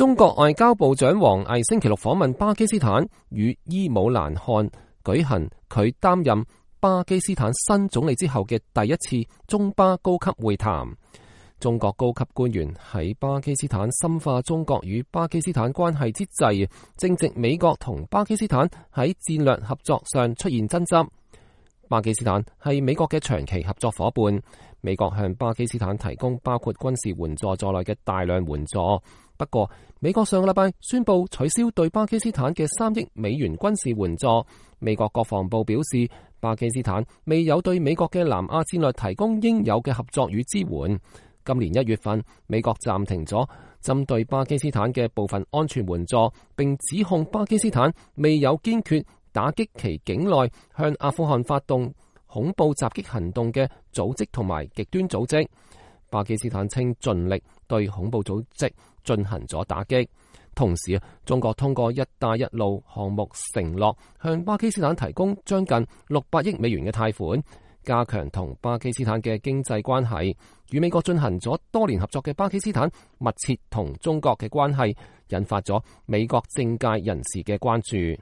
中國外交部長王毅星期六訪問巴基斯坦，與伊姆蘭汗舉行佢擔任巴基斯坦新總理之後嘅第一次中巴高級會談。中國高級官員喺巴基斯坦深化中國與巴基斯坦關係之際，正值美國同巴基斯坦喺戰略合作上出現爭執。巴基斯坦係美國嘅長期合作夥伴，美國向巴基斯坦提供包括軍事援助在內嘅大量援助。不過，美國上個禮拜宣布取消對巴基斯坦嘅3億美元軍事援助。美國國防部表示，巴基斯坦未有對美國嘅南亞戰略提供應有嘅合作與支援。今年1月份，美國暫停咗針對巴基斯坦嘅部分安全援助，並指控巴基斯坦未有堅決打擊其境內向阿富汗發動恐怖襲擊行動嘅組織同埋極端組織。巴基斯坦稱盡力對恐怖組織進行咗打擊。同時，中國通過一帶一路項目承諾向巴基斯坦提供將近600億美元嘅貸款，加強同巴基斯坦嘅經濟關係。與美國進行咗多年合作嘅巴基斯坦密切同中國嘅關係，引發咗美國政界人士嘅關注。